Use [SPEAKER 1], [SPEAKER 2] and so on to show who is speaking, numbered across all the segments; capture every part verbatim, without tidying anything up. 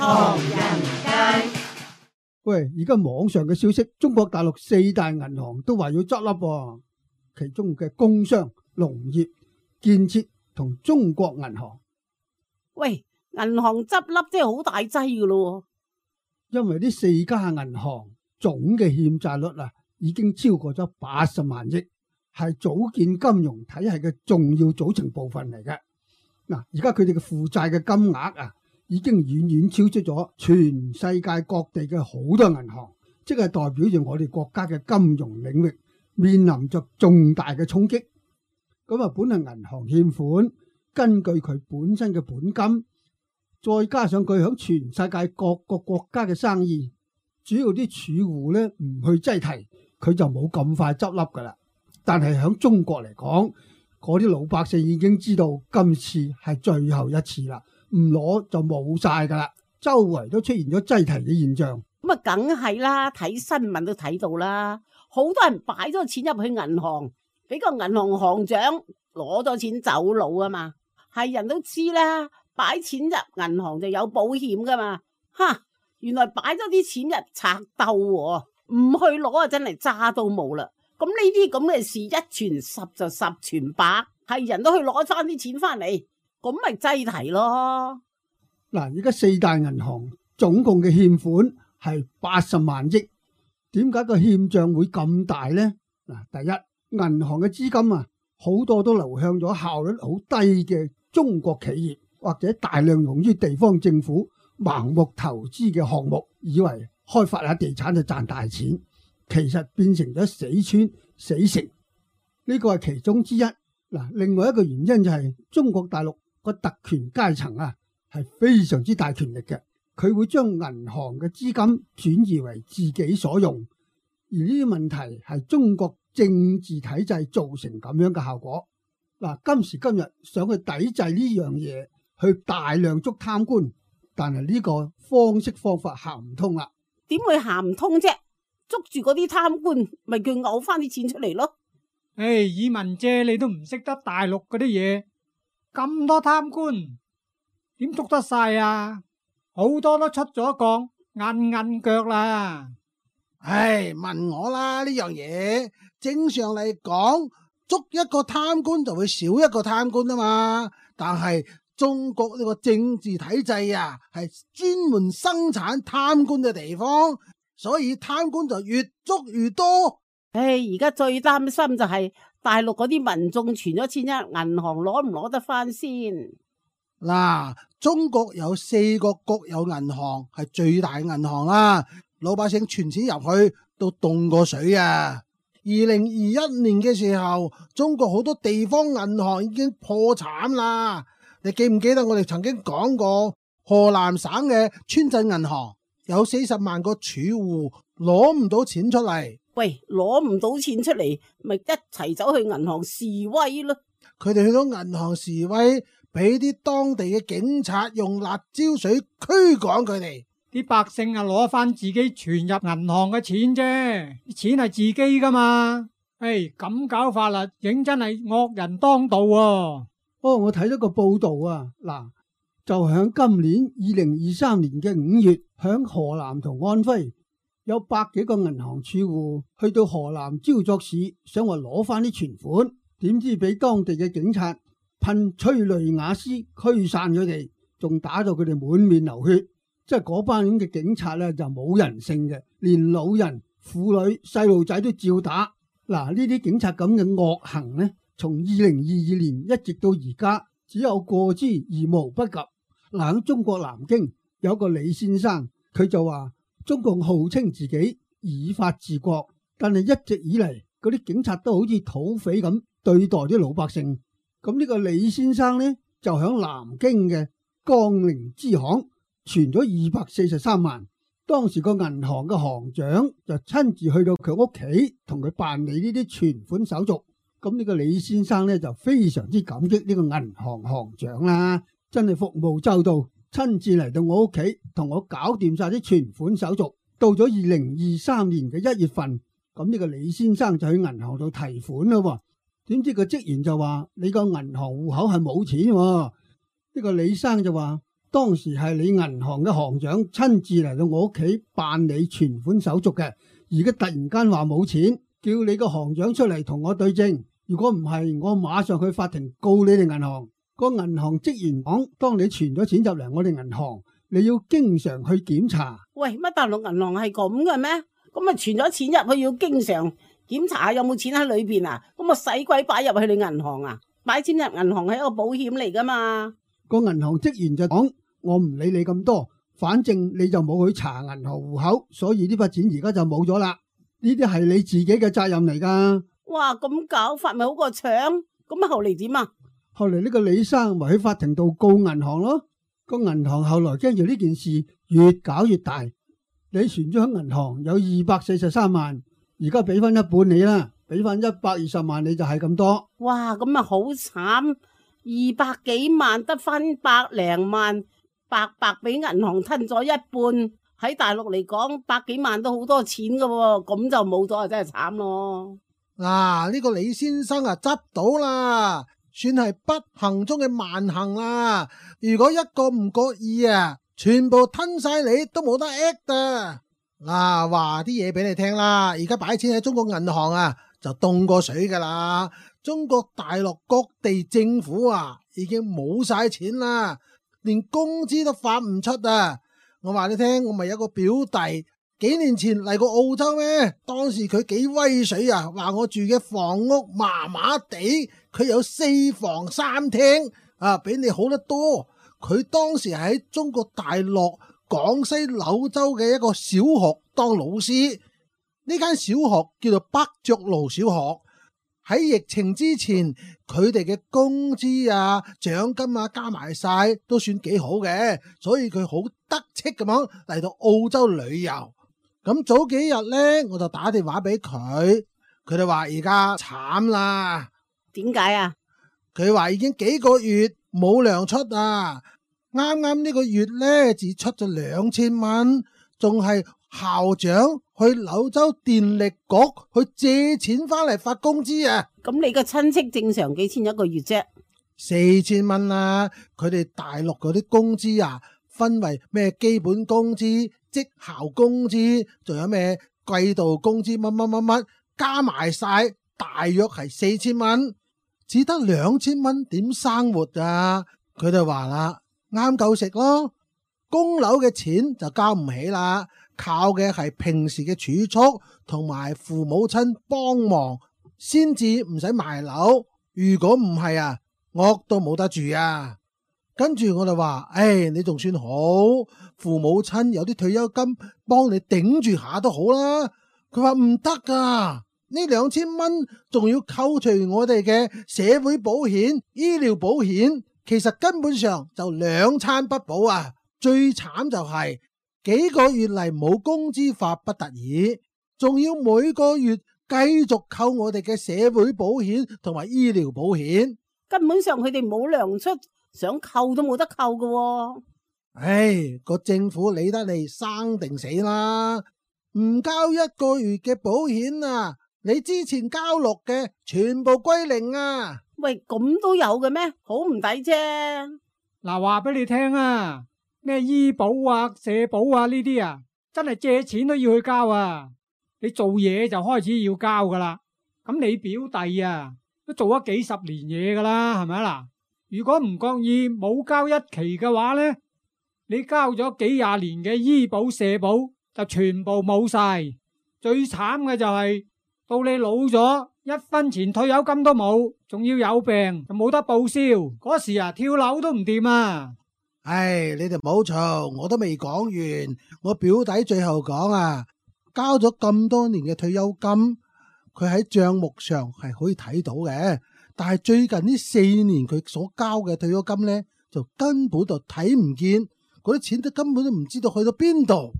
[SPEAKER 1] 唐人街。
[SPEAKER 2] 喂，而家網上嘅消息，中國大陸四大銀行都話要執笠喎，其中嘅工商、農業、建設同中國銀行。
[SPEAKER 3] 喂，銀行執笠真係好大劑噶咯。
[SPEAKER 2] 因為呢四家銀行總嘅欠債率啊，已經超過咗八十萬億，係組建金融體系嘅重要組成部分嚟嘅。嗱，而家佢哋嘅負債嘅金額啊，已經遠遠超出咗全世界各地嘅好多銀行，即係代表住我哋國家嘅金融領域面臨着重大嘅衝擊。咁啊，本嚟銀行欠款，根據佢本身嘅本金，再加上佢響全世界各個國家嘅生意，主要啲儲戶咧唔去擠提，佢就冇咁快執笠噶啦。但係響中國嚟講，嗰啲老百姓已經知道今次係最後一次啦，唔攞就冇晒噶啦，周圍都出現咗擠提嘅現象。
[SPEAKER 3] 咁啊，梗係啦，睇新聞都睇到啦，好多人擺咗錢入去銀行，俾個銀行行長攞咗錢走佬啊嘛，係人都知啦，擺錢入銀行就有保險噶嘛，哈，原來擺咗啲錢入賊竇喎，唔去攞啊真係渣都冇啦。咁呢啲咁嘅事一傳十就十傳百，係人都去攞翻啲錢翻嚟，咁咪擠提咯。
[SPEAKER 2] 嗱，而家四大銀行總共嘅欠款係八十萬億，點解個欠賬會咁大呢？嗱，第一，銀行嘅資金啊，好多都流向咗效率好低嘅中國企業，或者大量用於地方政府盲目投資嘅項目，以為開發下地產就賺大錢。其實變成咗死村死城，呢個係其中之一。嗱，另外一個原因就係中國大陸個特權階層啊，係非常之大權力嘅，佢會將銀行嘅資金轉移為自己所用，而呢啲問題係中國政治體制造成咁樣嘅效果。嗱，今時今日想去抵制呢樣嘢，去大量捉貪官，但係呢個方式方法行唔通啦。
[SPEAKER 3] 點會行唔通啫？捉住嗰啲貪官，咪叫嘔翻啲錢出嚟咯。
[SPEAKER 4] 唉，以文姐你都唔識得大陸嗰啲嘢，咁多貪官點捉得晒啊？好多都出咗降，硬硬腳啦。
[SPEAKER 5] 唉，問我啦，呢樣嘢正常嚟講，捉一個貪官就會少一個貪官啊嘛。但係中國呢個政治體制啊，係專門生產貪官嘅地方。所以貪官就越捉越多。
[SPEAKER 3] 唉，而家最擔心就係大陸嗰啲民眾存咗錢入銀行，攞唔攞得翻先？
[SPEAKER 5] 嗱，中國有四個國有銀行係最大銀行啦，老百姓存錢入去都凍過水啊！二零二一年嘅時候，中國好多地方銀行已經破產啦。你記唔記得我哋曾經講過河南省嘅村鎮銀行？有四十萬個儲戶攞唔到錢出嚟，
[SPEAKER 3] 喂，攞唔到錢出嚟，咪一齊走去銀行示威咯。
[SPEAKER 5] 佢哋去到銀行示威，俾啲當地嘅警察用辣椒水驅趕佢哋。
[SPEAKER 4] 啲百姓啊，攞翻自己存入銀行嘅錢啫，啲錢係自己噶嘛。唉，咁搞法啦，認真係惡人當道啊。
[SPEAKER 2] 哦，我睇咗個報道啊，嗱。就響今年二零二三年嘅五月，響河南同安徽有百幾個銀行儲戶去到河南焦作市，想話攞翻啲存款，點知俾當地嘅警察噴催淚瓦斯驅散佢哋，仲打到佢哋滿面流血。即係嗰班咁嘅警察咧就冇人性嘅，連老人、婦女、細路仔都照打。嗱，呢啲警察咁嘅惡行呢，從二零二二年一直到而家，只有過之而無不及。嗱，喺中國南京有個李先生，佢就話中共號稱自己以法治國，但係一直以嚟嗰啲警察都好似土匪咁對待啲老百姓。咁呢個李先生呢，就喺南京嘅江寧支行存咗二百四十三萬，當時個銀行嘅行長就親自去到佢屋企同佢辦理呢啲存款手續。咁呢個李先生呢，就非常之感激呢個銀行行長啦。真係服務周到，親自嚟到我屋企同我搞掂晒啲存款手續。到咗二零二三年嘅一月份，咁呢個李先生就去銀行度提款啦。點知個職員就話：你個銀行戶口係冇錢。呢個李生就話：當時係你銀行嘅行長親自嚟到我屋企辦理存款手續嘅，而家突然間話冇錢，叫你個行長出嚟同我對證。如果唔係，我馬上去法庭告你哋銀行。個銀行職員講，當你存咗錢入嚟我哋銀行，你要經常去檢查。
[SPEAKER 3] 喂，乜大陸銀行係咁嘅咩？咁啊存咗錢入去要經常檢查有冇錢喺裏邊啊？咁啊使鬼擺入去你銀行啊？擺錢入銀行係一個保險嚟噶嘛？
[SPEAKER 2] 個銀行職員就講，我唔理你咁多，反正你就冇去查銀行戶口，所以呢筆錢而家就冇咗啦。呢啲係你自己嘅責任嚟噶。哇，
[SPEAKER 3] 咁搞法咪好過搶？咁啊後嚟點啊？
[SPEAKER 2] 後嚟呢個李生咪喺法庭度告銀行咯。個銀行後來驚住呢件事越搞越大，你存咗喺銀行有二百四十三萬，而家俾翻一半你啦，俾翻一百二十萬你就係咁多。
[SPEAKER 3] 哇，咁啊好慘，二百幾萬得翻百零萬，白白俾銀行吞咗一半。喺大陸嚟講，百幾萬都好多錢噶喎，咁就冇咗啊，真係慘咯。
[SPEAKER 5] 嗱，呢個李先生啊執到啦，算係不幸中嘅萬幸啦。如果一個唔覺意啊，全部吞晒你都冇得 act 啊。嗱，話啲嘢俾你聽啦，而家擺錢喺中國銀行啊，就凍過水噶啦。中國大陸各地政府啊，已經冇晒錢啦，連工資都發唔出啊。我話你聽，我咪有個表弟，幾年前嚟過澳洲咩？當時佢幾威水啊，話我住嘅房屋麻麻地，佢有四房三廳啊，比你好得多。佢當時喺中國大陸廣西柳州嘅一個小學當老師，呢間小學叫做北涿路小學。喺疫情之前，佢哋嘅工資啊、獎金啊加埋晒都算幾好嘅，所以佢好得戚咁樣嚟到澳洲旅遊。咁早幾日呢，我就打電話俾佢，佢哋話而家慘啦。
[SPEAKER 3] 點解啊？
[SPEAKER 5] 佢話已經幾個月冇糧出啊，啱啱呢個月呢，只出咗兩千蚊，仲係校長去柳州電力局去借錢翻嚟發工資啊！
[SPEAKER 3] 咁你個親戚正常幾錢一個月啫？
[SPEAKER 5] 四千蚊啦！佢哋大陸嗰啲工資啊，分為咩基本工資、績效工資，仲有咩季度工資，乜乜乜乜，加埋晒大約係四千蚊，只得兩千蚊點生活啊！佢就話啦，啱夠食咯，供樓嘅錢就交唔起啦。靠嘅係平時嘅儲蓄同埋父母親幫忙，先至唔使賣樓。如果唔係啊，屋都冇得住啊。跟住我就話，誒、哎，你仲算好，父母親有啲退休金幫你頂住下都好啦。佢話唔得噶，呢兩千蚊仲要扣除我哋嘅社會保險、醫療保險，其實根本上就兩餐不保啊。最慘就係、是。幾個月嚟冇工資發不得已，仲要每個月繼續扣我哋嘅社會保險同埋醫療保險，
[SPEAKER 3] 根本上佢哋冇糧出，想扣都冇得扣㗎喎。
[SPEAKER 5] 唉，個政府理得你生定死啦，唔交一個月嘅保險啊，你之前交落嘅全部歸零啊！
[SPEAKER 3] 喂，咁都有嘅咩？好唔抵啫。
[SPEAKER 4] 嗱，話俾你聽啊。咩醫保啊、社保啊呢啲啊，真係借錢都要去交啊！你做嘢就開始要交噶啦。咁你表弟啊，都做咗幾十年嘢噶啦，係咪啊？嗱，如果唔覺意冇交一期嘅話呢，你交咗幾廿年嘅醫保、社保就全部冇晒。最慘嘅就係、是、到你老咗，一分錢退休金都冇，仲要有病就冇得報銷。嗰時啊，跳樓都唔掂啊！
[SPEAKER 5] 唉，你哋唔好嘈，我都未講完。我表弟最後講啊，交咗咁多年嘅退休金，佢喺賬目上係可以睇到嘅，但係最近呢四年佢所交嘅退休金呢，就根本就睇唔見，嗰啲錢都根本都唔知道去到邊度。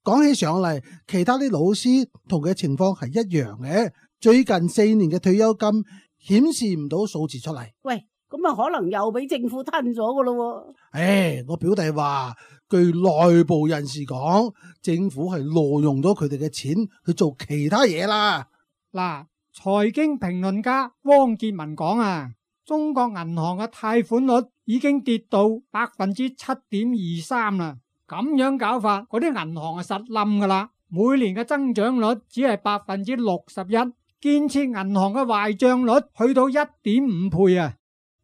[SPEAKER 5] 講起上嚟，其他啲老師同佢嘅情況係一樣嘅，最近四年嘅退休金顯示唔到數字出嚟。
[SPEAKER 3] 喂。咁啊，可能又俾政府吞咗噶咯？
[SPEAKER 5] 誒，我表弟話，據內部人士講，政府係挪用咗佢哋嘅錢去做其他嘢啦。
[SPEAKER 4] 嗱，財經評論家汪建文講啊，中國銀行嘅貸款率已經跌到百分之七點二三啦。咁樣搞法，嗰啲銀行係實冧噶啦。每年嘅增長率只係百分之六十一，建設銀行嘅壞賬率去到一點五倍啊！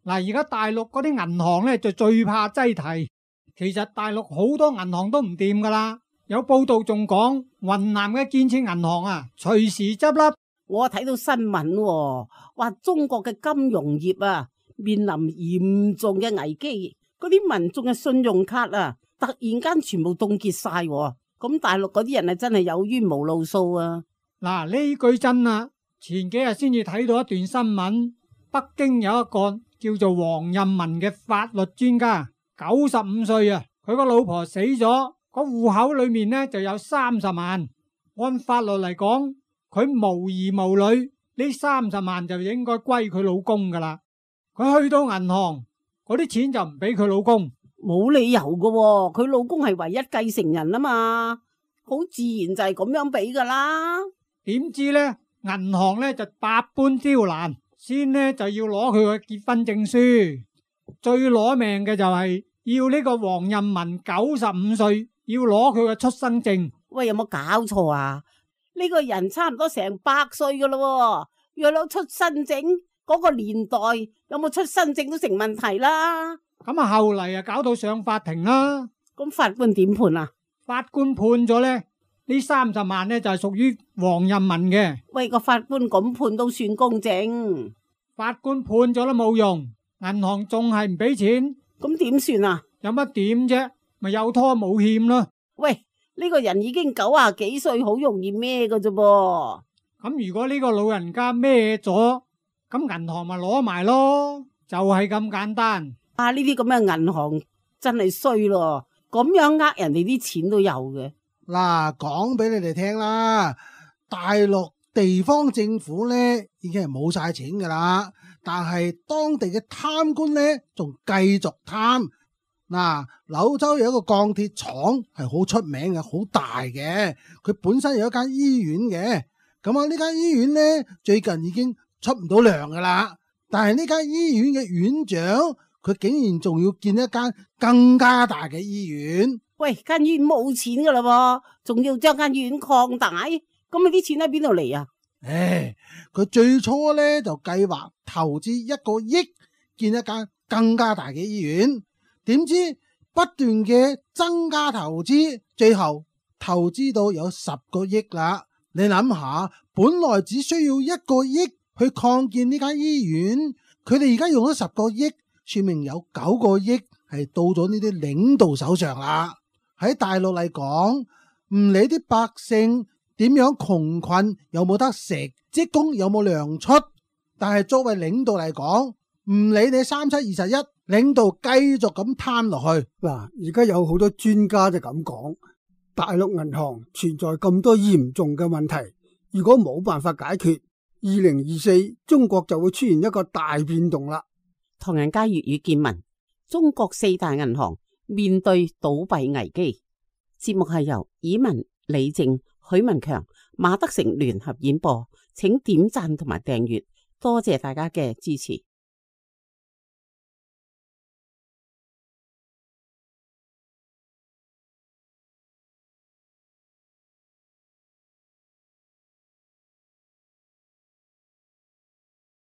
[SPEAKER 4] 嗱，而家大陸嗰啲銀行咧就最怕擠提，其實大陸好多銀行都唔掂噶啦。有報道仲講，雲南嘅建設銀行啊，隨時執笠。
[SPEAKER 3] 我睇到新聞，話中國嘅金融業啊面臨嚴重嘅危機，嗰啲民眾嘅信用卡啊突然間全部凍結晒，咁大陸嗰啲人啊真係有冤無路訴啊！
[SPEAKER 4] 嗱，呢句真啊，前幾日先至睇到一段新聞，北京有一個叫做黃任民嘅法律專家，九十五歲啊，佢個老婆死咗，個戶口裏面呢就有三十萬，按法律嚟講，佢無兒無女，呢三十萬就應該歸佢老公噶啦。佢去到銀行，嗰啲錢就唔俾佢老公。
[SPEAKER 3] 冇理由噶，佢老公係唯一繼承人啊嘛，好自然就係咁樣俾噶啦。
[SPEAKER 4] 點知呢，銀行呢就百般刁難，先呢就要攞佢嘅結婚證書，最攞命嘅就係要呢個黃任民九十五歲要攞佢嘅出生證。
[SPEAKER 3] 喂，有冇搞錯啊？呢個人差唔多成百歲噶咯，要攞出生證，嗰個年代有冇出生證都成問題啦。
[SPEAKER 4] 咁啊，後嚟啊搞到上法庭啦。
[SPEAKER 3] 咁法官點判啊？
[SPEAKER 4] 法官判咗咧，呢三十萬咧就係屬於黃任民嘅。
[SPEAKER 3] 喂，個法官咁判都算公正。
[SPEAKER 4] 法官判咗都冇用，銀行仲係唔俾錢。
[SPEAKER 3] 咁點算啊？
[SPEAKER 4] 有乜點啫？咪有拖冇欠咯。
[SPEAKER 3] 喂，呢個人已經九啊幾歲，好容易孭噶啫噃。
[SPEAKER 4] 咁如果呢個老人家孭咗，咁銀行咪攞埋咯，就係咁簡單。
[SPEAKER 3] 啊！呢啲咁嘅銀行真係衰咯，咁樣呃人哋啲錢都有嘅。
[SPEAKER 5] 嗱，講俾你哋聽啦，大陸地方政府咧已經係冇晒錢噶啦，但係當地嘅貪官咧仲繼續貪。嗱，柳州有一個鋼鐵廠係好出名嘅，好大嘅，佢本身有一間醫院嘅。咁啊，呢間醫院咧最近已經出唔到糧噶啦，但係呢間醫院嘅院長，佢竟然仲要建一間更加大嘅醫院。
[SPEAKER 3] 喂，間醫院冇錢噶啦，仲要將間醫院擴大，咁你啲錢喺邊度嚟啊？
[SPEAKER 5] 唉，佢最初咧就計劃投資一個億建一間更加大嘅醫院，點知不斷嘅增加投資，最後投資到有十個億啦。你諗下，本來只需要一個億去擴建呢間醫院，佢哋而家用咗十個億。說明有九個億係到咗呢啲領導手上啦。喺大陸嚟講，唔理啲百姓點樣窮困，有冇得食，職工有冇糧出，但係作為領導嚟講，唔理你三七二十一，領導繼續咁貪落去。
[SPEAKER 2] 嗱，而家有好多專家就咁講，大陸銀行存在咁多嚴重嘅問題，如果冇辦法解決，二零二四中國就會出現一個大變動啦。
[SPEAKER 3] 唐人街粵語見聞：中國四大銀行面對倒閉危機。節目係由以文、李靜、許文強、馬德成聯合演播，請點讚同埋訂閱，多謝大家嘅支持。